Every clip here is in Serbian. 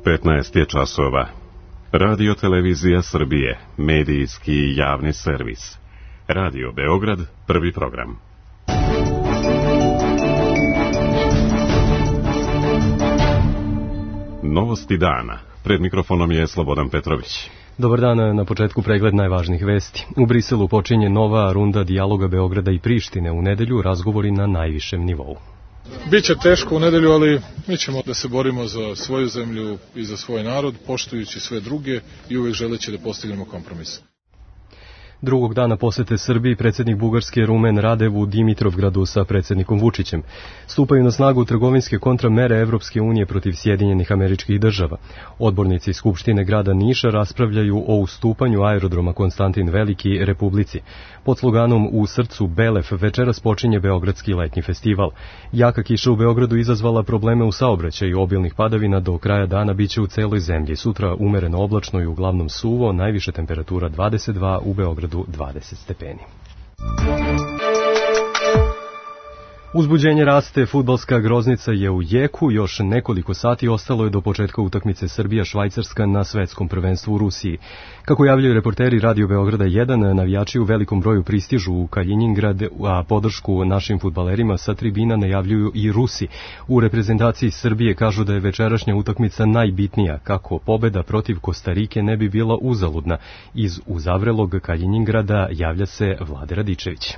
15 je časova. Radio Televizija Srbije, medijski javni servis. Radio Beograd, prvi program. Novosti dana. Pred mikrofonom je Slobodan Petrović. Dobar dan, na početku pregled najvažnijih vesti. U Briselu počinje nova runda dijaloga Beograda i Prištine. U nedelju razgovori na najvišem nivou. Biće teško u nedelju, ali mi ćemo da se borimo za svoju zemlju i za svoj narod, poštujući sve druge i uvek želeći da postignemo kompromis. Drugog dana posete Srbiji predsjednik Bugarske Rumen Radev u Dimitrovgradu sa predsjednikom Vučićem. Stupaju na snagu trgovinske kontramere Evropske unije protiv Sjedinjenih Američkih Država. Odbornici Skupštine grada Niša raspravljaju o ustupanju aerodroma Konstantin Veliki Republici. Pod sloganom U srcu Belef večeras počinje Beogradski letnji festival. Jaka kiša u Beogradu izazvala probleme u saobraćaju, obilnih padavina do kraja dana biće u celoj zemlji. Sutra umereno oblačno i uglavnom suvo, najviše temperatura 22, u Beogradu 20 stepeni. Uzbuđenje raste, fudbalska groznica je u jeku, još nekoliko sati ostalo je do početka utakmice Srbija-Švajcarska na svetskom prvenstvu u Rusiji. Kako javljaju reporteri Radio Beograda 1, navijači u velikom broju pristižu u Kaljinjingrad, a podršku našim fudbalerima sa tribina najavljuju i Rusi. U reprezentaciji Srbije kažu da je večerašnja utakmica najbitnija, kako pobeda protiv Kostarike ne bi bila uzaludna. Iz uzavrelog Kaljinjingrada javlja se Vlade Radičević.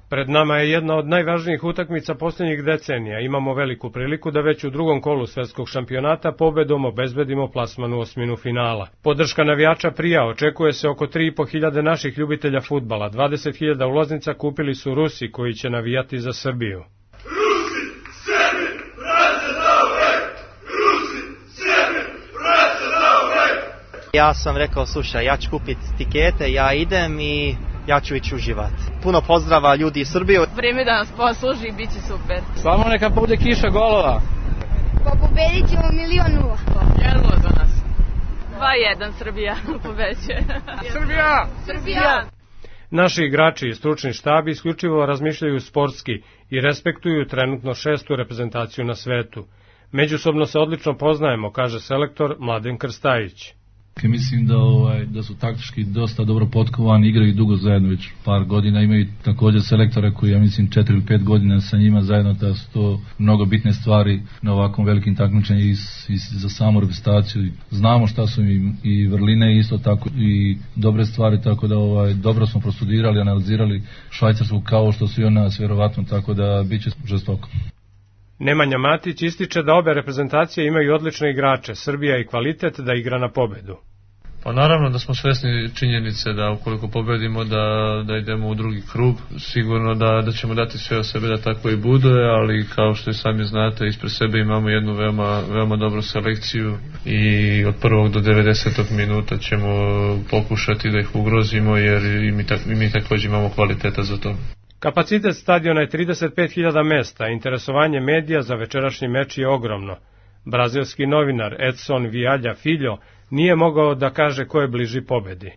Pred nama je jedna od najvažnijih utakmica posljednjih decenija. Imamo veliku priliku da već u drugom kolu svetskog šampionata pobedom obezbedimo plasman u osminu finala. Podrška navijača prija, očekuje se oko 3.500 naših ljubitelja fudbala. 20.000 ulaznica kupili su Rusi koji će navijati za Srbiju. Rusi, Srbi, braća zauvek! Rusi, Srbi, braća zauvek! Ja sam rekao, slušaj, ja ću kupiti tikete, ja idem i ja ću ići uživati. Puno pozdrava ljudi iz Srbije. Vreme da nas posluži i bit će super. Samo neka bude kiša golova. Pobedit ćemo 1-0. Jedno za nas. 2-1 Srbija pobeđuje. Srbija! Srbija! Naši igrači i stručni štab isključivo razmišljaju sportski i respektuju trenutno 6. reprezentaciju na svetu. Međusobno se odlično poznajemo, kaže selektor Mladen Krstajić. Mislim da su taktički dosta dobro potkovani, igraju dugo zajedno, već par godina, imaju također selektora koji, ja mislim, 4 ili 5 godina sa njima zajedno, da su to mnogo bitne stvari na ovakvom velikim takmičenju i za samu reprezentaciju. Znamo šta su im i vrline isto tako i dobre stvari, tako da dobro smo prostudirali, analizirali Švajcarsku kao što su i ona vjerovatno, tako da bit će žestoko. Nemanja Matić ističe da obe reprezentacije imaju odlične igrače, Srbija i kvalitet da igra na pobedu. Pa naravno da smo svesni činjenice da ukoliko pobedimo da idemo u drugi krug, sigurno da ćemo dati sve od sebe da tako i bude, ali kao što i sami znate, ispred sebe imamo jednu veoma dobru selekciju i od prvog do 90. minuta ćemo pokušati da ih ugrozimo jer i mi također imamo kvaliteta za to. Kapacitet stadiona je 35.000 mesta, interesovanje medija za večerašnji meč je ogromno. Brazilski novinar Edson Vialha Filho nije mogao da kaže ko je bliži pobedi.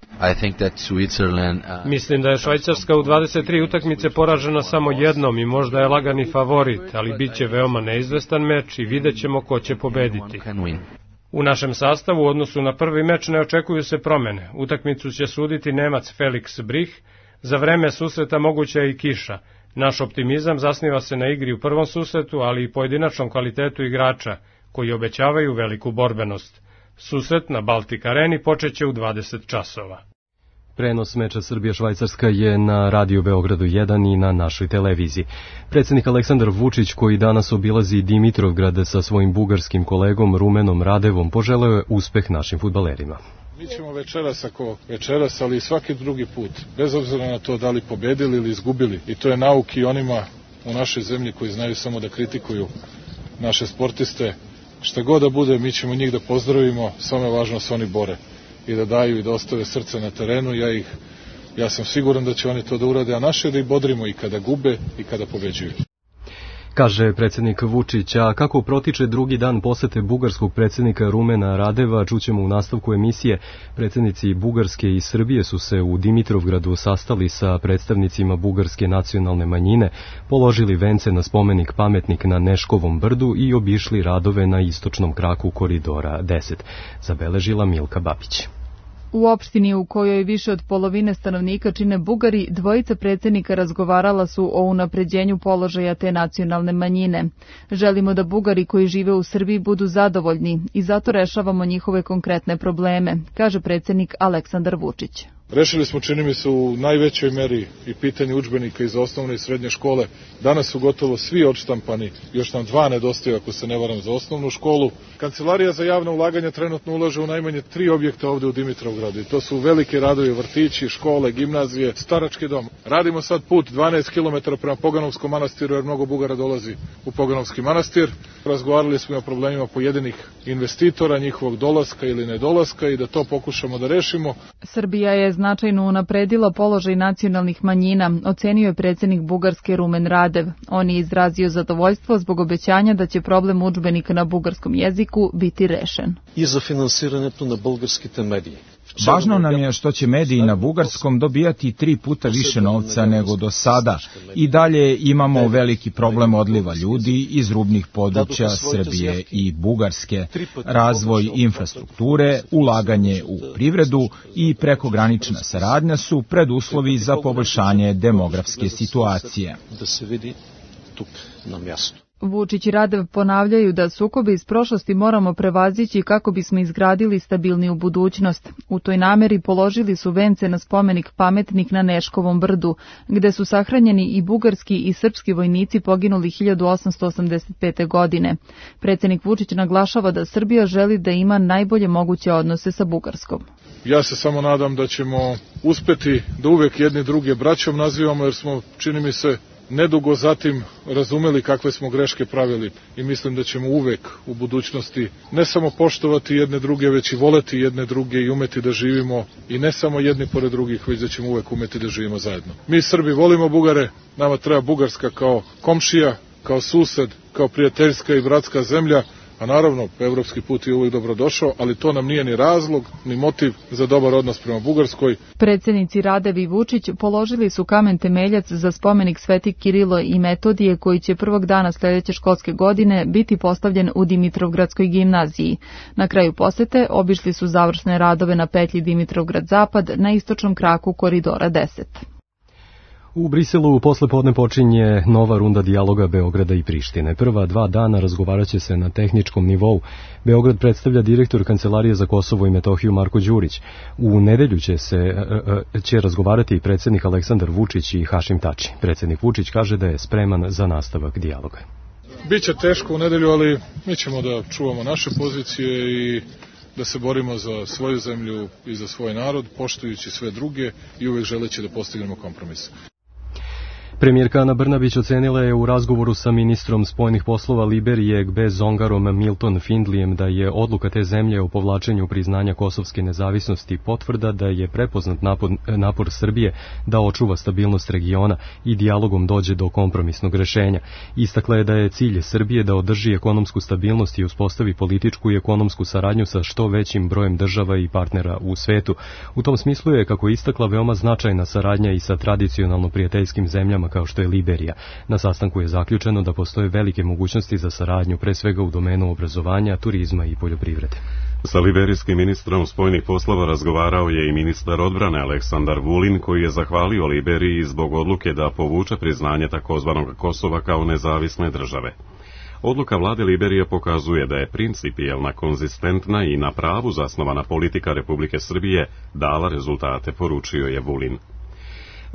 Mislim da je Švajcarska u 23 utakmice poražena samo jednom i možda je lagani favorit, ali bit će veoma neizvestan meč i vidjet ćemo ko će pobediti. U našem sastavu u odnosu na prvi meč ne očekuju se promene. Utakmicu će suditi Nemac Felix Brich. Za vreme susreta moguća je i kiša. Naš optimizam zasniva se na igri u prvom susretu, ali i pojedinačnom kvalitetu igrača, koji obećavaju veliku borbenost. Susret na Baltic Areni počeće u 20 časova. Prenos meča Srbija-Švajcarska je na Radio Beogradu 1 i na našoj televiziji. Predsjednik Aleksandar Vučić, koji danas obilazi Dimitrovgrad sa svojim bugarskim kolegom Rumenom Radevom, poželeo je uspeh našim fudbalerima. Mi ćemo večeras, ali i svaki drugi put, bez obzira na to da li pobedili ili izgubili. I to je nauk i onima u našoj zemlji koji znaju samo da kritikuju naše sportiste. Šta god da bude, mi ćemo njih da pozdravimo, samo je važno da se oni bore i da daju i da ostave srce na terenu. Ja sam siguran da će oni to da urade, a naše da ih bodrimo i kada gube i kada pobeđuju. kaže predsjednik Vučić. A kako protiče drugi dan posete bugarskog predsjednika Rumena Radeva, čućemo u nastavku emisije. Predsjednici Bugarske i Srbije su se u Dimitrovgradu sastali sa predstavnicima bugarske nacionalne manjine, položili vence na spomenik Pametnik na Neškovom brdu i obišli radove na istočnom kraku koridora 10, zabeležila Milka Babić. U opštini u kojoj više od polovine stanovnika čine Bugari, dvojica predsjednika razgovarala su o unapređenju položaja te nacionalne manjine. Želimo da Bugari koji žive u Srbiji budu zadovoljni i zato rešavamo njihove konkretne probleme, kaže predsjednik Aleksandar Vučić. Rešili smo, čini mi se, u najvećoj meri i pitanje udžbenika iz osnovne i srednje škole. Danas su gotovo svi odštampani, još nam 2 nedostaju ako se ne varam za osnovnu školu. Kancelarija za javna ulaganja trenutno ulaže u najmanje 3 objekta ovde u Dimitrovgradu. I to su velike radovi, vrtići, škole, gimnazije, starački dom. Radimo sad put 12 km prema Poganovskom manastiru jer mnogo Bugara dolazi u Poganovski manastir. Razgovarali smo o problemima pojedinih investitora, njihovog dolaska ili nedolaska i da to pokušamo da rešimo. Srbija je značajno unapredila položaj nacionalnih manjina, ocenio je predsjednik Bugarske Rumen Radev. On je izrazio zadovoljstvo zbog obećanja da će problem udžbenika na bugarskom jeziku biti rešen. I za finansirането na bulgarskите medije. Važno nam je što će mediji na bugarskom dobijati 3 puta više novca nego do sada. I dalje imamo veliki problem odliva ljudi iz rubnih područja Srbije i Bugarske, razvoj infrastrukture, ulaganje u privredu i prekogranična saradnja su preduslovi za poboljšanje demografske situacije. Da se vidi tuk na mjestu. Vučić i Radev ponavljaju da sukobe iz prošlosti moramo prevazići kako bismo izgradili stabilniju budućnost. U toj nameri položili su vence na spomenik Pametnik na Neškovom brdu, gde su sahranjeni i bugarski i srpski vojnici poginuli 1885. godine. Predsjednik Vučić naglašava da Srbija želi da ima najbolje moguće odnose sa Bugarskom. Ja se samo nadam da ćemo uspeti da uvek jedni druge braćom nazivamo, jer smo, čini mi se, nedugo zatim razumeli kakve smo greške pravili i mislim da ćemo uvek u budućnosti ne samo poštovati jedne druge, već i voleti jedne druge i umeti da živimo i ne samo jedni pored drugih, već da ćemo uvek umeti da živimo zajedno. Mi Srbi volimo Bugare, nama treba Bugarska kao komšija, kao sused, kao prijateljska i bratska zemlja, a naravno, evropski put je uvijek dobrodošao, ali to nam nije ni razlog, ni motiv za dobar odnos prema Bugarskoj. Predsjednici Radev i Vučić položili su kamen temeljac za spomenik Sveti Kirilo i Metodije koji će prvog dana sljedeće školske godine biti postavljen u Dimitrovgradskoj gimnaziji. Na kraju posete obišli su završne radove na petlji Dimitrovgrad-Zapad na istočnom kraku koridora 10. U Briselu poslepodne počinje nova runda dijaloga Beograda i Prištine. Prva 2 dana razgovaraće se na tehničkom nivou. Beograd predstavlja direktor Kancelarije za Kosovo i Metohiju Marko Đurić. U nedelju će razgovarati i predsjednik Aleksandar Vučić i Hašim Tači. Predsjednik Vučić kaže da je spreman za nastavak dijaloga. Biće teško u nedelju, ali mi ćemo da čuvamo naše pozicije i da se borimo za svoju zemlju i za svoj narod, poštujući sve druge i uvek želeći da postignemo kompromis. Premijerka Ana Brnabić ocenila je u razgovoru sa ministrom spoljnih poslova Liberije Gbe Zongarom Milton Findlijem da je odluka te zemlje o povlačenju priznanja kosovske nezavisnosti potvrda da je prepoznat napor Srbije da očuva stabilnost regiona i dijalogom dođe do kompromisnog rešenja. Istakla je da je cilj Srbije da održi ekonomsku stabilnost i uspostavi političku i ekonomsku saradnju sa što većim brojem država i partnera u svetu. U tom smislu je, kako istakla, veoma značajna saradnja i sa tradicionalno prijateljskim zemljama kao što je Liberija. Na sastanku je zaključeno da postoje velike mogućnosti za saradnju, pre svega u domenu obrazovanja, turizma i poljoprivrede. Sa liberijskim ministrom spoljnih poslova razgovarao je i ministar odbrane Aleksandar Vulin, koji je zahvalio Liberiji zbog odluke da povuče priznanje takozvanog Kosova kao nezavisne države. Odluka vlade Liberije pokazuje da je principijelna, konzistentna i na pravu zasnovana politika Republike Srbije dala rezultate, poručio je Vulin.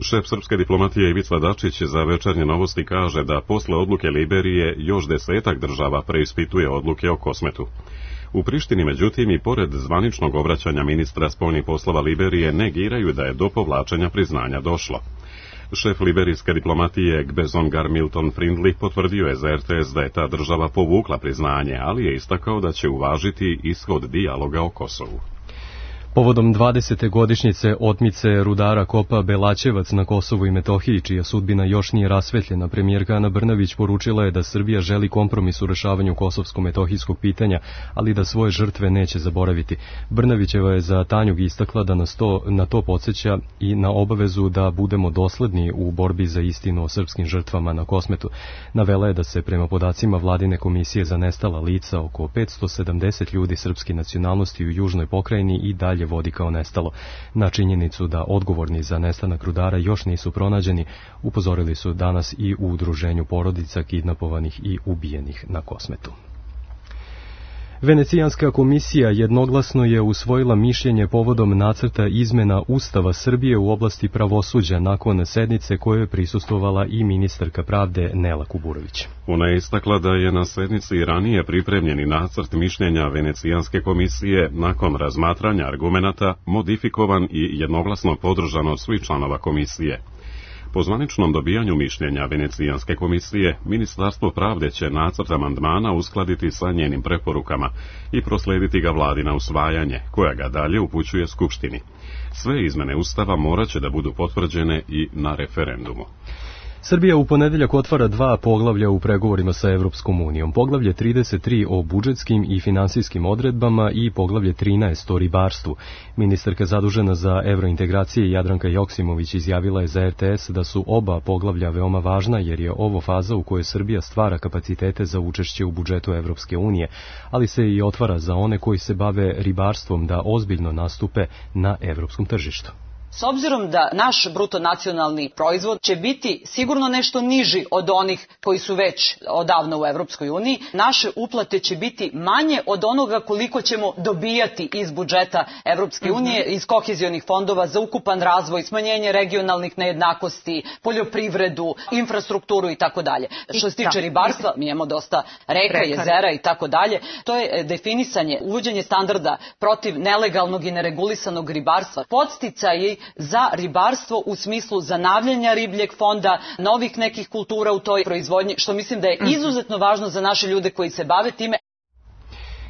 Šef srpske diplomatije Ivica Dačić za Večernje novosti kaže da posle odluke Liberije još 10 država preispituje odluke o Kosmetu. U Prištini, međutim, i pored zvaničnog obraćanja ministra spoljnih poslova Liberije negiraju da je do povlačenja priznanja došlo. Šef liberijske diplomatije Gbe Zongar Milton Findley potvrdio je za RTS da je ta država povukla priznanje, ali je istakao da će uvažiti ishod dijaloga o Kosovu. Povodom 20. godišnjice otmice rudara kopa Belaćevac na Kosovu i Metohiji, čija sudbina još nije rasvetljena, premijerka Ana Brnabić poručila je da Srbija želi kompromis u rešavanju kosovsko-metohijskog pitanja, ali da svoje žrtve neće zaboraviti. Brnabićeva je za Tanjug istakla da na to podsjeća i na obavezu da budemo dosledni u borbi za istinu o srpskim žrtvama na Kosmetu. Navela je da se prema podacima Vladine komisije za nestala lica oko 570 ljudi srpske nacionalnosti u južnoj pokrajini i dalje vodi kao nestalo. Na činjenicu da odgovorni za nestanak rudara još nisu pronađeni, upozorili su danas i u udruženju porodica kidnapovanih i ubijenih na Kosmetu. Venecijanska komisija jednoglasno je usvojila mišljenje povodom nacrta izmena Ustava Srbije u oblasti pravosuđa nakon sednice kojoj je prisustvovala i ministarka pravde Nela Kuburović. Ona je istakla da je na sednici ranije pripremljeni nacrt mišljenja Venecijanske komisije nakon razmatranja argumenata modifikovan i jednoglasno podržan od svih članova komisije. Po zvaničnom dobijanju mišljenja Venecijanske komisije, Ministarstvo pravde će nacrt amandmana uskladiti sa njenim preporukama i proslediti ga vladi na usvajanje, koja ga dalje upućuje Skupštini. Sve izmene Ustava morat će da budu potvrđene i na referendumu. Srbija u ponedeljak otvara 2 poglavlja u pregovorima sa Evropskom unijom. Poglavlje 33 o budžetskim i finansijskim odredbama i poglavlje 13 o ribarstvu. Ministarka zadužena za evrointegracije Jadranka Joksimović izjavila je za RTS da su oba poglavlja veoma važna jer je ovo faza u kojoj Srbija stvara kapacitete za učešće u budžetu Evropske unije, ali se i otvara za one koji se bave ribarstvom da ozbiljno nastupe na evropskom tržištu. S obzirom da naš bruto nacionalni proizvod će biti sigurno nešto niži od onih koji su već odavno u Evropskoj uniji, naše uplate će biti manje od onoga koliko ćemo dobijati iz budžeta Evropske unije, iz kohezionih fondova za ukupan razvoj, smanjenje regionalnih nejednakosti, poljoprivredu, infrastrukturu i tako dalje. Što se tiče ribarstva, mi imamo dosta reka, jezera i tako dalje. To je definisanje, uvođenje standarda protiv nelegalnog i neregulisanog ribarstva, podsticaji za ribarstvo u smislu zanavljanja ribljeg fonda, novih nekih kultura u toj proizvodnji, što mislim da je izuzetno važno za naše ljude koji se bave time.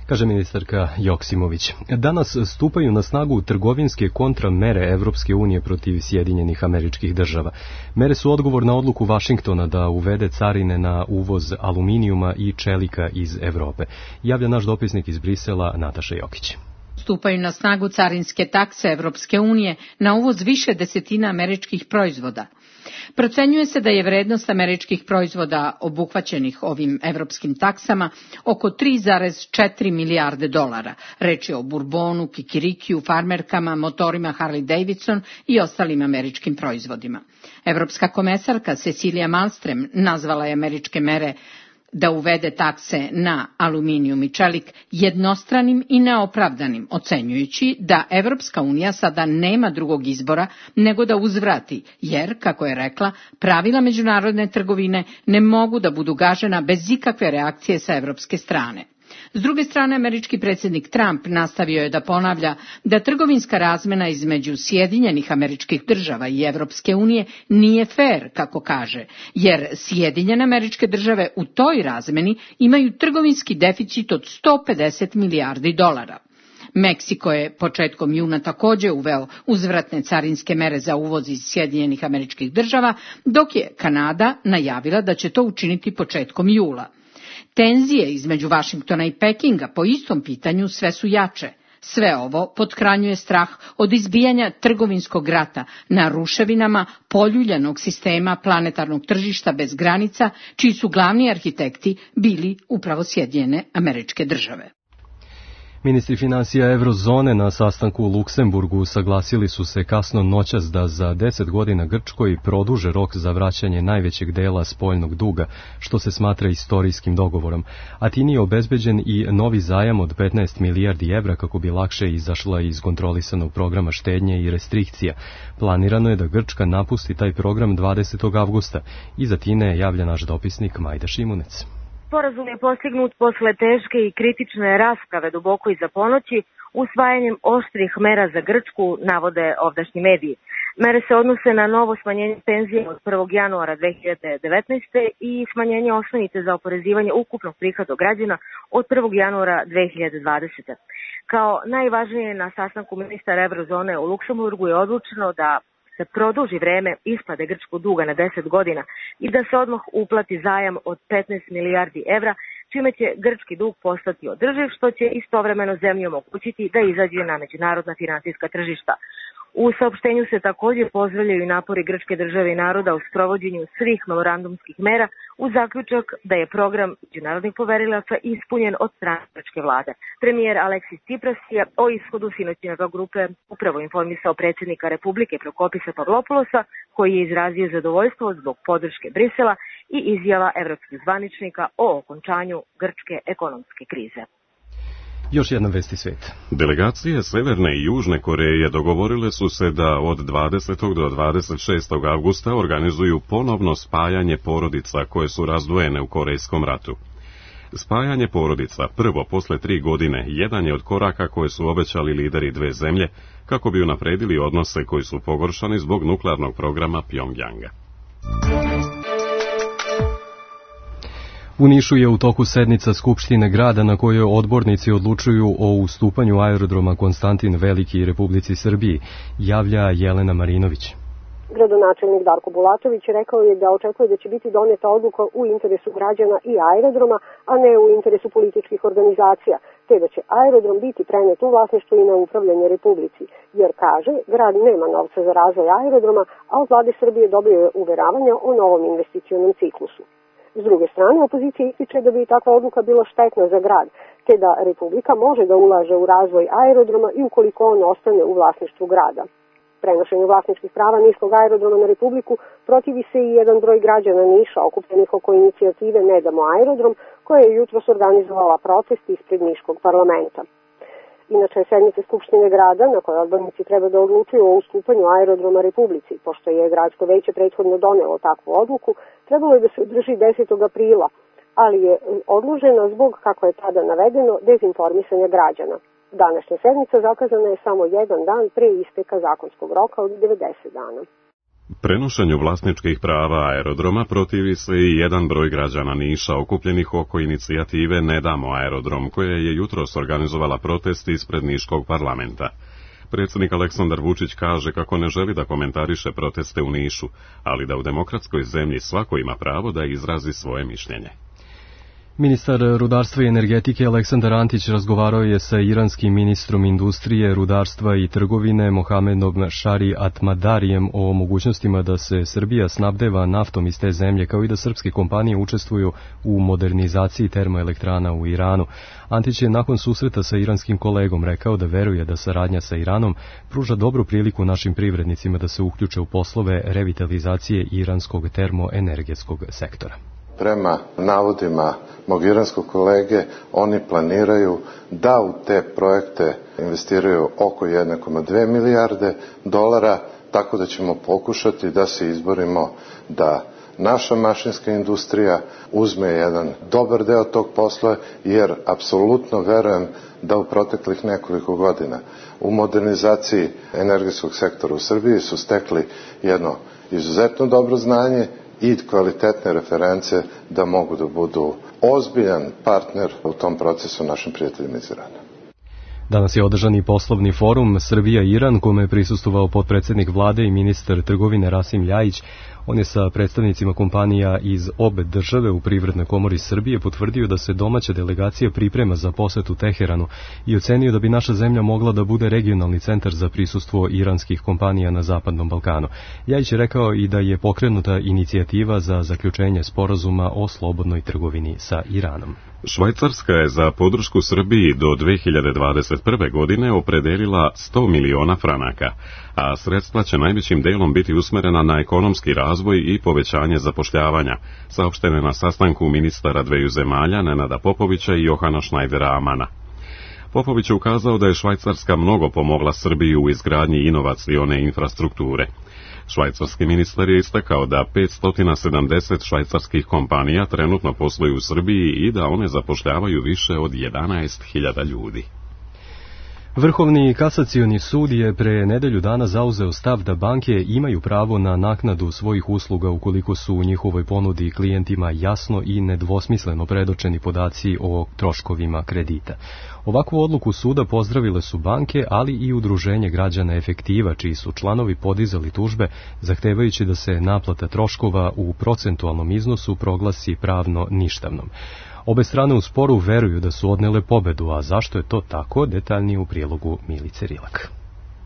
Kaže ministarka Joksimović. Danas stupaju na snagu trgovinske kontramere Evropske unije protiv Sjedinjenih Američkih Država. Mere su odgovor na odluku Vašingtona da uvede carine na uvoz aluminijuma i čelika iz Evrope. Javlja naš dopisnik iz Brisela Nataša Jokić. Stupaju na snagu carinske takse Evropske unije na uvoz više desetina američkih proizvoda. Procenjuje se da je vrednost američkih proizvoda obuhvaćenih ovim evropskim taksama oko 3,4 milijarde dolara. Reč je o burbonu, kikirikiju, farmerkama, motorima Harley Davidson i ostalim američkim proizvodima. Evropska komesarka Cecilia Malmström nazvala je američke mere da uvede takse na aluminijum i čelik jednostranim i neopravdanim, ocenjujući da Evropska unija sada nema drugog izbora nego da uzvrati, jer, kako je rekla, pravila međunarodne trgovine ne mogu da budu gažena bez ikakve reakcije sa evropske strane. S druge strane, američki predsjednik Trump nastavio je da ponavlja da trgovinska razmena između Sjedinjenih Američkih Država i Evropske unije nije fer, kako kaže, jer Sjedinjene Američke Države u toj razmeni imaju trgovinski deficit od 150 milijardi dolara. Meksiko je početkom juna također uveo uzvratne carinske mere za uvoz iz Sjedinjenih Američkih Država, dok je Kanada najavila da će to učiniti početkom jula. Tenzije između Vašingtona i Pekinga po istom pitanju sve su jače. Sve ovo pothranjuje strah od izbijanja trgovinskog rata na ruševinama poljuljanog sistema planetarnog tržišta bez granica, čiji su glavni arhitekti bili upravo Sjedinjene Američke Države. Ministri financija Eurozone na sastanku u Luksemburgu saglasili su se kasno noćas da za 10 godina Grčkoj produže rok za vraćanje najvećeg dela spoljnog duga, što se smatra istorijskim dogovorom. Atini je obezbeđen i novi zajam od 15 milijardi evra kako bi lakše izašla iz kontrolisanog programa štednje i restrikcija. Planirano je da Grčka napusti taj program 20. avgusta. Iz Atine javlja naš dopisnik Majda Šimunec. Sporazum je postignut posle teške i kritične rasprave duboko iza ponoći, usvajanjem oštrih mera za Grčku, navode ovdašnji mediji. Mere se odnose na novo smanjenje penzije od 1. januara 2019. i smanjenje osnovice za oporezivanje ukupnog prihoda građana od 1. januara 2020. Kao najvažnije na sastanku ministara Evrozone u Luksemburgu je odlučeno da se produži vreme isplate grčkog duga na 10 godina i da se odmah uplati zajam od 15 milijardi evra, čime će grčki dug postati održiv, što će istovremeno zemlji omogućiti da izađe na međunarodna finansijska tržišta. U saopštenju se također pozdravljaju napori grčke države i naroda u sprovođenju svih memorandumskih mera uz zaključak da je program međunarodnih poverilaca ispunjen od strane grčke vlade. Premijer Aleksis Tsipras je o ishodu sinoćne grupe upravo informisao predsjednika Republike Prokopisa Pavlopoulosa, koji je izrazio zadovoljstvo zbog podrške Brisela i izjava evropskih zvaničnika o okončanju grčke ekonomske krize. Još jedna vesti svijeta. Delegacije Severne i Južne Koreje dogovorile su se da od 20. do 26. avgusta organizuju ponovno spajanje porodica koje su razdvojene u Korejskom ratu. Spajanje porodica, prvo posle 3 godine, jedan je od koraka koje su obećali lideri dve zemlje kako bi unapredili odnose koji su pogoršani zbog nuklearnog programa Pjongjanga. U Nišu je u toku sednica Skupštine grada na kojoj odbornici odlučuju o ustupanju aerodroma Konstantin Veliki Republici Srbiji, javlja Jelena Marinović. Gradonačelnik Darko Bulatović rekao je da očekuje da će biti doneta odluka u interesu građana i aerodroma, a ne u interesu političkih organizacija, te da će aerodrom biti prenet u vlasništvo i na upravljanje Republici, jer kaže, grad nema novca za razvoj aerodroma, a od vlade Srbije dobio je uveravanja o novom investicionom ciklusu. S druge strane, opozicija ističe da bi takva odluka bila štetna za grad, te da Republika može da ulaže u razvoj aerodroma i ukoliko on ostane u vlasništvu grada. Prenošenju vlasničkih prava Niškog aerodroma na Republiku protivi se i jedan broj građana Niša okupljenih oko inicijative Ne damo aerodrom, koja je jutros organizovala protest ispred Niškog parlamenta. Inače, sednice Skupštine grada, na kojoj odbornici treba da odlučuju o ustupanju aerodroma Republici, pošto je gradsko veće prethodno donelo takvu odluku, trebalo je da se održi 10. aprila, ali je odložena zbog, kako je tada navedeno, dezinformisanja građana. Današnja sednica zakazana je samo jedan dan pre isteka zakonskog roka od 90 dana. Prenošenju vlasničkih prava aerodroma protivi se i jedan broj građana Niša okupljenih oko inicijative Ne damo aerodrom, koja je jutros organizovala protest ispred Niškog parlamenta. Predsjednik Aleksandar Vučić kaže kako ne želi da komentariše proteste u Nišu, ali da u demokratskoj zemlji svako ima pravo da izrazi svoje mišljenje. Ministar rudarstva i energetike Aleksandar Antić razgovarao je sa iranskim ministrom industrije, rudarstva i trgovine Mohamedom Šari Atmadarijem o mogućnostima da se Srbija snabdeva naftom iz te zemlje, kao i da srpske kompanije učestvuju u modernizaciji termoelektrana u Iranu. Antić je nakon susreta sa iranskim kolegom rekao da veruje da saradnja sa Iranom pruža dobru priliku našim privrednicima da se uključe u poslove revitalizacije iranskog termoenergetskog sektora. Prema navodima mog iranskog kolege, oni planiraju da u te projekte investiraju oko 1,2 milijarde dolara, tako da ćemo pokušati da se izborimo da naša mašinska industrija uzme jedan dobar deo tog posla, jer apsolutno verujem da u proteklih nekoliko godina u modernizaciji energetskog sektora u Srbiji su stekli jedno izuzetno dobro znanje i kvalitetne reference da mogu da budu ozbiljan partner u tom procesu našim prijateljima iz Irana. Danas je održan i poslovni forum Srbija-Iran, kome je prisustvovao potpredsjednik vlade i ministar trgovine Rasim Ljajić. On je sa predstavnicima kompanija iz obe države u Privrednoj komori Srbije potvrdio da se domaća delegacija priprema za posetu Teheranu i ocenio da bi naša zemlja mogla da bude regionalni centar za prisustvo iranskih kompanija na Zapadnom Balkanu. Ljajić je rekao i da je pokrenuta inicijativa za zaključenje sporazuma o slobodnoj trgovini sa Iranom. Švajcarska je za podršku Srbiji do 2021. godine opredelila 100 miliona franaka, a sredstva će najvećim delom biti usmerena na ekonomski razvoj i povećanje zapošljavanja, saopštene na sastanku ministara dveju zemalja Nenada Popovića i Johana Šnajdera Amana. Popović je ukazao da je Švajcarska mnogo pomogla Srbiji u izgradnji inovacione infrastrukture. Švajcarski ministar je istakao da 570 švajcarskih kompanija trenutno posluju u Srbiji i da one zapošljavaju više od 11.000 ljudi. Vrhovni kasacioni sud je pre nedelju dana zauzeo stav da banke imaju pravo na naknadu svojih usluga ukoliko su u njihovoj ponudi klijentima jasno i nedvosmisleno predočeni podaci o troškovima kredita. Ovakvu odluku suda pozdravile su banke, ali i Udruženje građana Efektiva, čiji su članovi podizali tužbe, zahtevajući da se naplata troškova u procentualnom iznosu proglasi pravno ništavnom. Obe strane u sporu veruju da su odnele pobedu, a zašto je to tako, detaljnije u prilogu Milice Rilak.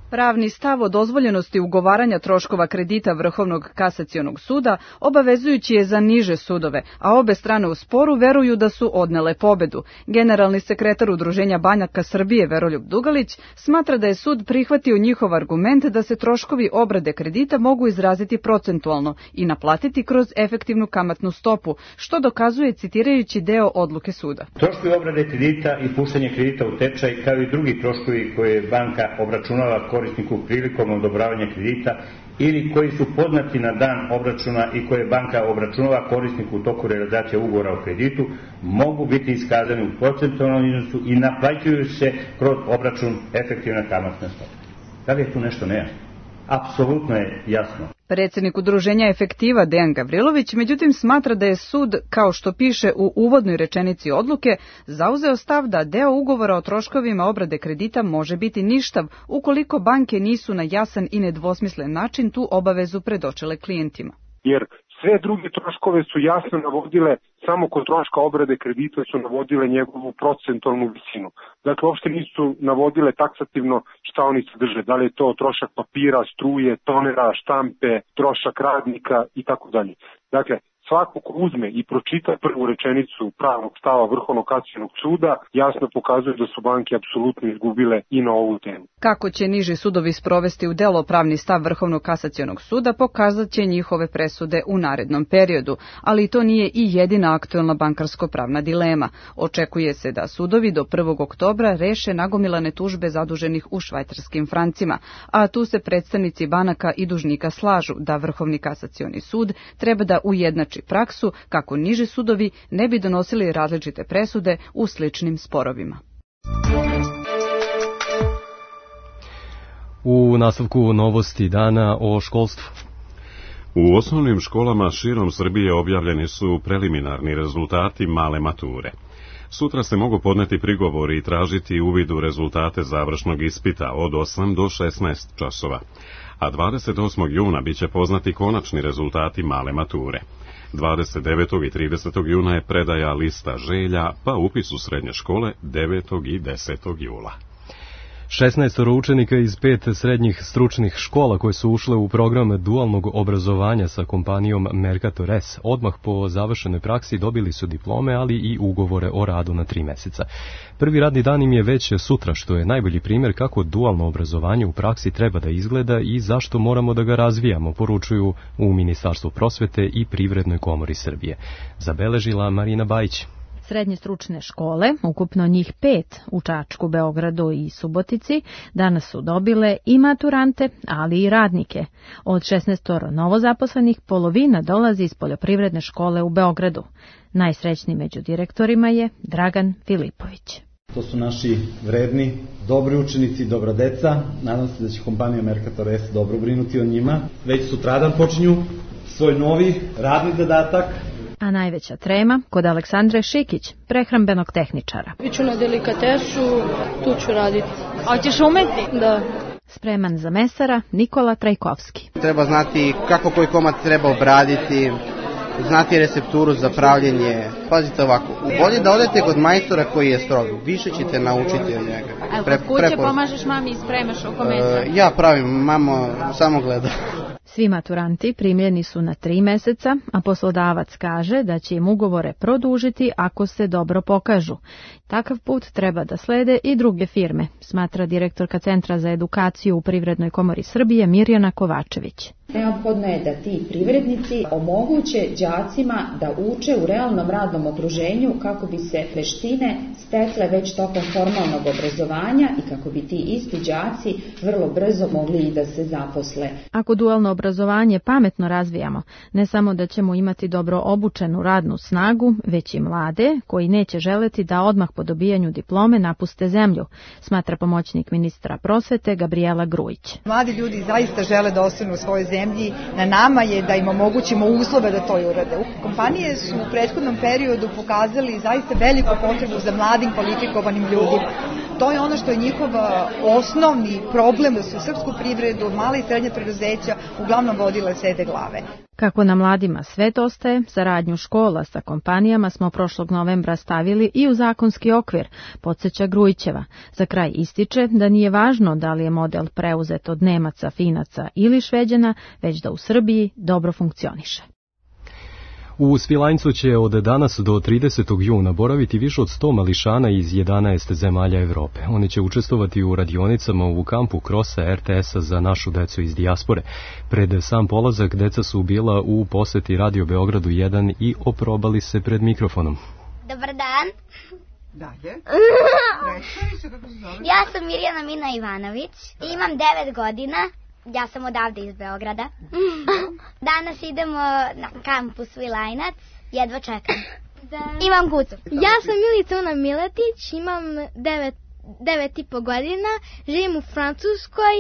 Pravni stav o dozvoljenosti ugovaranja troškova kredita Vrhovnog kasacionog suda obavezujući je za niže sudove, a obe strane u sporu veruju da su odnele pobedu. Generalni sekretar Udruženja banaka Srbije Veroljub Dugalić smatra da je sud prihvatio njihov argument da se troškovi obrade kredita mogu izraziti procentualno i naplatiti kroz efektivnu kamatnu stopu, što dokazuje citirajući deo odluke suda. Troškovi obrade kredita i puštanje kredita u tečaj, kao i drugi troškovi koje banka obračunava korisniku prilikom odobravanja kredita ili koji su poznati na dan obračuna i koje banka obračunava korisniku u toku realizacije ugovora o kreditu, mogu biti iskazani u procentualnom iznosu i naplaćuju se kroz obračun efektivna kamatna stopa. Da li je tu nešto nejasno? Apsolutno je jasno. Predsjednik Udruženja Efektiva Dejan Gavrilović međutim smatra da je sud, kao što piše u uvodnoj rečenici odluke, zauzeo stav da deo ugovora o troškovima obrade kredita može biti ništav ukoliko banke nisu na jasan i nedvosmislen način tu obavezu predočile klijentima. Jer sve druge troškove su jasno navodile, samo kod troška obrade kredita su navodile njegovu procentualnu visinu. Dakle, uopšte nisu navodile taksativno šta oni sadrže, da li je to trošak papira, struje, tonera, štampe, trošak radnika i tako dalje. Dakle, svako ko uzme i pročita prvu rečenicu pravnog stava Vrhovnog kasacionog suda, jasno pokazuje da su banke apsolutno izgubile i na ovu temu. Kako će niži sudovi sprovesti u delo pravni stav Vrhovnog kasacionog suda, pokazat će njihove presude u narednom periodu, ali to nije i jedina aktuelna bankarsko-pravna dilema. Očekuje se da sudovi do 1. oktobra reše nagomilane tužbe zaduženih u švajcarskim francima, a tu se predstavnici banaka i dužnika slažu da Vrhovni kasacioni sud treba da ujednači praksu kako niži sudovi ne bi donosili različite presude u sličnim sporovima. U nastavku novosti dana o školstvu. U osnovnim školama širom Srbije objavljeni su preliminarni rezultati male mature. Sutra se mogu podneti prigovori i tražiti uvid u rezultate završnog ispita od 8 do 16 časova, a 28. juna biće poznati konačni rezultati male mature. 29. i 30. juna je predaja lista želja, pa upis u srednje škole 9. i 10. jula. 16 učenika iz 5 srednjih stručnih škola koje su ušle u program dualnog obrazovanja sa kompanijom Mercator S odmah po završenoj praksi dobili su diplome, ali i ugovore o radu na 3 meseca. Prvi radni dan im je već sutra, što je najbolji primjer kako dualno obrazovanje u praksi treba da izgleda i zašto moramo da ga razvijamo, poručuju u Ministarstvu prosvete i Privrednoj komori Srbije. Zabeležila Marina Bajić. Srednje stručne škole, ukupno njih 5 u Čačku, Beogradu i Subotici, danas su dobile i maturante, ali i radnike. Od 16 novozaposlenih polovina dolazi iz poljoprivredne škole u Beogradu. Najsrećniji među direktorima je Dragan Filipović. To su naši vredni, dobri učenici, dobra deca. Nadam se da će kompanija Mercator S dobro brinuti o njima. Već sutradan počinju svoj novi radni zadatak. A najveća trema kod Aleksandre Šikić, prehrambenog tehničara. Biću na delikatesu, tu ću raditi. A ćeš umeti? Da. Spreman za mesara Nikola Trajkovski. Treba znati kako koji komad treba obraditi, znati recepturu za pravljenje. Pazite ovako, bolje da odete kod majstora koji je strog, više ćete naučiti od njega. A kod kuće pomažeš mami i spremaš oko mesa? Ja pravim, mama samo gleda. Svi maturanti primljeni su na 3 meseca, a poslodavac kaže da će im ugovore produžiti ako se dobro pokažu. Takav put treba da slede i druge firme, smatra direktorka Centra za edukaciju u Privrednoj komori Srbije Mirjana Kovačević. Neophodno je da ti privrednici omoguće đacima da uče u realnom radnom okruženju kako bi se veštine stekle već tokom formalnog obrazovanja i kako bi ti isti đaci vrlo brzo mogli i da se zaposle. Ako dualno obrazovanje pametno razvijamo, ne samo da ćemo imati dobro obučenu radnu snagu, već i mlade koji neće želeti da odmah po dobijanju diplome napuste zemlju, smatra pomoćnik ministra prosvete Gabriela Grujić. Mladi ljudi zaista žele da ostanu u svojoj zemlji, na nama je da im omogućimo uslove da to i urade. Kompanije su u prethodnom periodu pokazali zaista veliku potrebu za mladim kvalifikovanim ljudima. To je ono što je njihov osnovni problem, da su srpsku privredu, mala i srednja preduzeća uglavnom vodile sede glave. Kako na mladima svet ostaje, saradnju škola sa kompanijama smo prošlog novembra stavili i u zakonski okvir, podsjeća Grujićeva. Za kraj ističe da nije važno da li je model preuzet od Nemaca, Finaca ili Šveđana, već da u Srbiji dobro funkcioniše. U Svilajncu će od danas do 30. juna boraviti više od 100 mališana iz 11 zemalja Evrope. Oni će učestvovati u radionicama u kampu Krosa RTS-a za našu decu iz dijaspore. Pred sam polazak deca su bila u poseti Radio Beogradu 1 i oprobali se pred mikrofonom. Dobar dan. Dalje. Ja sam Mirjana Mina Ivanović, imam 9 godina. Ja sam odavde iz Beograda. Danas idemo na kampu Svilajnac. Jedva čekam. Imam gucu. Ja sam Milica Una Miletić, imam 9,5 godina. Živim u Francuskoj,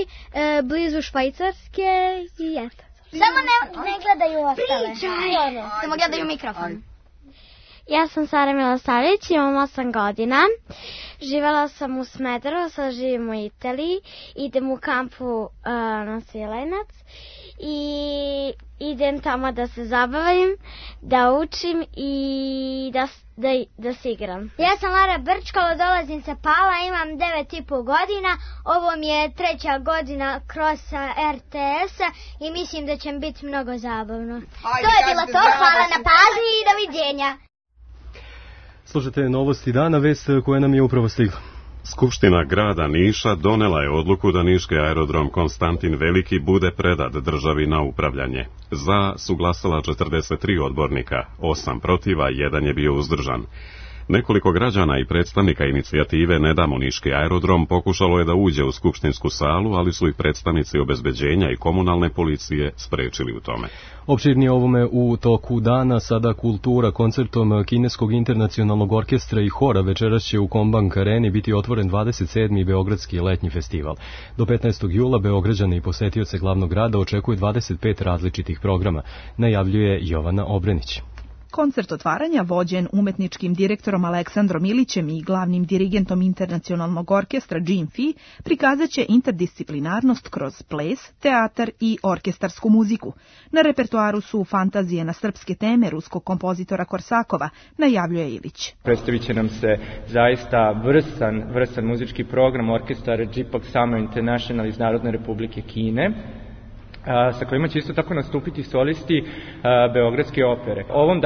blizu Švajcarske i eto. Samo ne gledaju ostale. Pričaj! Samo gledaju mikrofon. Ja sam Sara Milosavljević, imam 8 godina. Živela sam u Smederevu, sad živim u Italiji. Idem u kampu na Svilajnac i idem tamo da se zabavim, da učim i da se igram. Ja sam Lara Brčkalo, dolazim sa Pala, imam 9,5 godina. Ovo mi je 3. godina kroz RTS-a i mislim da će mi biti mnogo zabavno. To je bilo to, hvala na pažnji i doviđenja. Slušajte novosti dana, vest koja nam je upravo stigla. Skupština grada Niša donela je odluku da niški aerodrom Konstantin Veliki bude predat državi na upravljanje. Za su glasala 43 odbornika, 8 protiva, 1 je bio uzdržan. Nekoliko građana i predstavnika inicijative Ne damo niški aerodrom pokušalo je da uđe u skupštinsku salu, ali su i predstavnici obezbeđenja i komunalne policije sprečili u tome. Opširnije ovome u toku dana, sada kultura koncertom Kineskog internacionalnog orkestra i hora večeras će u Kombank Areni biti otvoren 27. Beogradski letnji festival. Do 15. jula Beograđane i posetioce glavnog grada očekuje 25 različitih programa, najavljuje Jovana Obrenić. Koncert otvaranja, vođen umetničkim direktorom Aleksandrom Ilićem i glavnim dirigentom internacionalnog orkestra Jim Fee, prikazat će interdisciplinarnost kroz ples, teatar i orkestarsku muziku. Na repertoaru su fantazije na srpske teme ruskog kompozitora Korsakova, najavljuje Ilić. Predstavit će nam se zaista vrsan muzički program orkestar JPOG Summer International iz Narodne republike Kine, sa kojima će isto tako nastupiti solisti Beogradske opere. Ovom,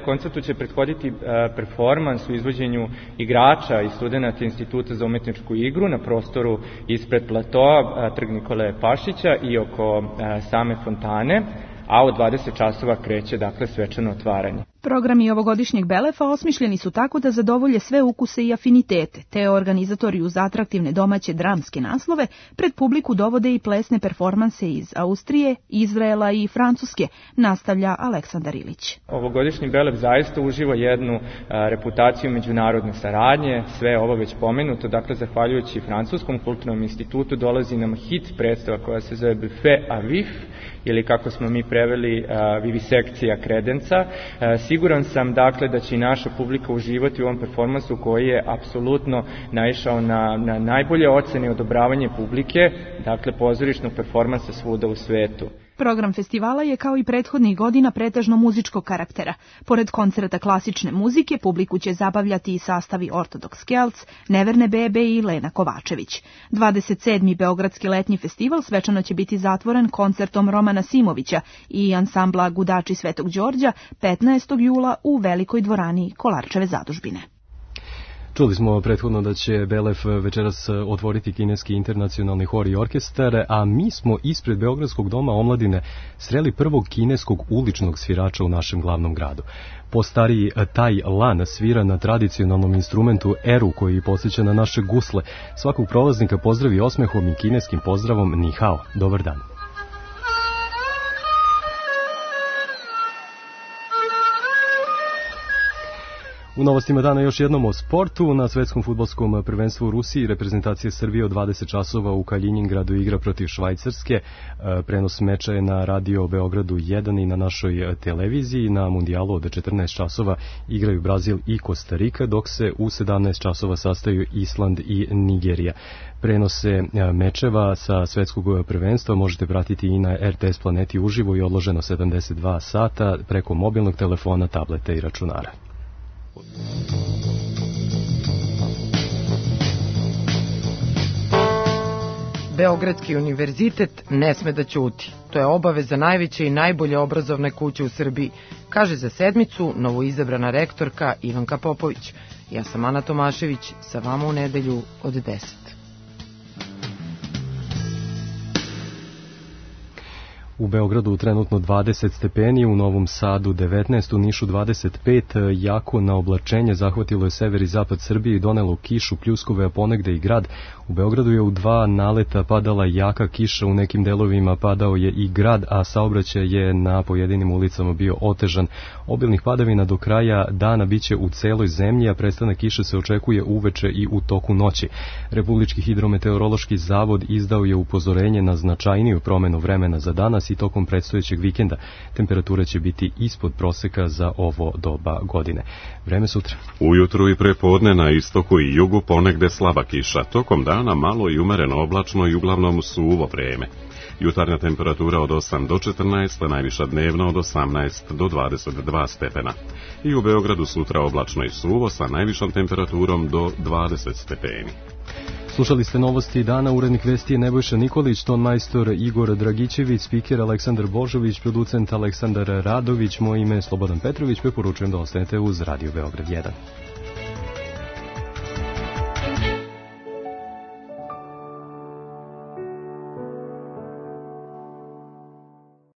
koncertu će prethoditi performans u izvođenju igrača i studenta Instituta za umetničku igru na prostoru ispred platoa Trg Nikole Pašića i oko same fontane, a od 20 časova kreće, svečano otvaranje. Programi ovogodišnjeg Belefa osmišljeni su tako da zadovolje sve ukuse i afinitete, te organizatori uz atraktivne domaće dramske naslove pred publiku dovode i plesne performanse iz Austrije, Izraela i Francuske, nastavlja Aleksandar Ilić. Ovogodišnji Belef zaista uživa jednu reputaciju međunarodne saradnje, sve ovo već pomenuto, zahvaljujući Francuskom kulturnom institutu dolazi nam hit predstava koja se zove Buffet à Vif, ili kako smo mi preveli vivisekcija kredenca. Siguran sam da će i naša publika uživati u ovom performansu koji je apsolutno naišao na najbolje ocene i odobravanje publike, pozorišnog performansa svuda u svetu. Program festivala je kao i prethodnih godina pretežno muzičkog karaktera. Pored koncerta klasične muzike, publiku će zabavljati i sastavi Ortodoks Kelc, Neverne bebe i Lena Kovačević. 27. Beogradski letnji festival svečano će biti zatvoren koncertom Romana Simovića i ansambla Gudači Svetog Đorđa 15. jula u Velikoj dvorani Kolarčeve zadužbine. Čuli smo prethodno da će Belef večeras otvoriti kineski internacionalni hor i orkestar, a mi smo ispred Beogradskog doma omladine sreli prvog kineskog uličnog svirača u našem glavnom gradu. Postariji Tai Lan svira na tradicionalnom instrumentu eru koji podsjeća na naše gusle. Svakog prolaznika pozdravi osmehom i kineskim pozdravom Ni hao, dobar dan. U novostima dana još jednom o sportu. Na svetskom fudbalskom prvenstvu u Rusiji reprezentacija Srbije od 20 časova u Kaljiningradu igra protiv Švajcarske. Prenos meča je na radio Beogradu 1 i na našoj televiziji. Na mundijalu od 14 časova igraju Brazil i Kostarika, dok se u 17 časova sastaju Island i Nigerija. Prenose mečeva sa svetskog prvenstva možete pratiti i na RTS planeti uživo i odloženo 72 sata preko mobilnog telefona, tableta i računara. Beogradski univerzitet ne sme da ćuti. To je obaveza najveće i najbolje obrazovne kuće u Srbiji, kaže za sedmicu novoizabrana rektorka Ivanka Popović. Ja sam Ana Tomašević, sa vama u nedelju od 10. U Beogradu trenutno 20 stepeni, u Novom Sadu 19, u Nišu 25, jako na oblačenje zahvatilo je sever i zapad Srbije i donelo kišu, pljuskove, a ponegde i grad. U Beogradu je u 2 naleta padala jaka kiša, u nekim delovima padao je i grad, a saobraćaj je na pojedinim ulicama bio otežan. Obilnih padavina do kraja dana biće u celoj zemlji, a prestanak kiše se očekuje uveče i u toku noći. Republički hidrometeorološki zavod izdao je upozorenje na značajniju promenu vremena za danas i tokom predstojećeg vikenda. Temperatura će biti ispod proseka za ovo doba godine. Vreme sutra. Ujutru i prepodne na istoku i jugu ponegde slaba kiša. Tokom dana malo i umereno oblačno i uglavnom suvo vreme. Jutarnja temperatura od 8 do 14, najviša dnevna od 18 do 22 stepena. I u Beogradu sutra oblačno i suvo sa najvišom temperaturom do 20 stepeni. Slušali ste novosti dana, urednik vesti je Nebojša Nikolić, tonmajstor Igor Dragićević, spiker Aleksandar Božović, producent Aleksandar Radović, moje ime je Slobodan Petrović, preporučujem da ostanete uz Radio Beograd 1.